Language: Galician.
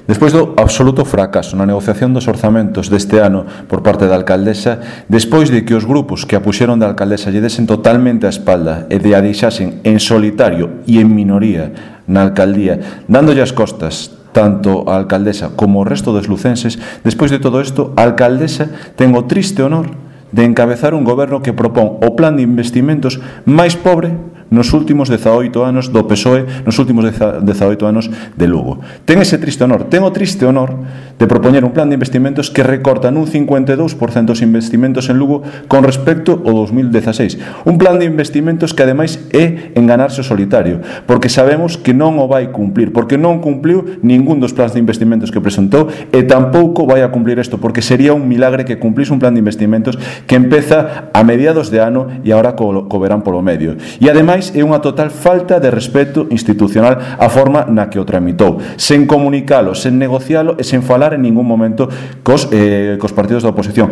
Despois do absoluto fracaso na negociación dos orzamentos deste ano por parte da alcaldesa, despois de que os grupos que a puxeron da alcaldesa lle desen totalmente a espalda e de a deixasen en solitario e en minoría na alcaldía, dándolle as costas tanto a alcaldesa como o resto dos lucenses, despois de todo isto, a alcaldesa ten o triste honor de encabezar un goberno que propón o plan de investimentos máis pobre nos últimos 18 anos do PSOE, nos últimos 18 anos de Lugo. Ten ese triste honor, ten o triste honor de propoñer un plan de investimentos que recorta nun 52% os investimentos en Lugo con respecto ao 2016. Un plan de investimentos que ademais é enganarse o solitario, porque sabemos que non o vai cumplir, porque non cumpliu ningún dos plans de investimentos que presentou e tampouco vai a cumplir isto, porque sería un milagre que cumplise un plan de investimentos que empeza a mediados de ano e agora co verán polo medio. E ademais é unha total falta de respeto institucional a forma na que o tramitou, sen comunicalo, sen negocialo e sen falar en ningún momento cos partidos da oposición,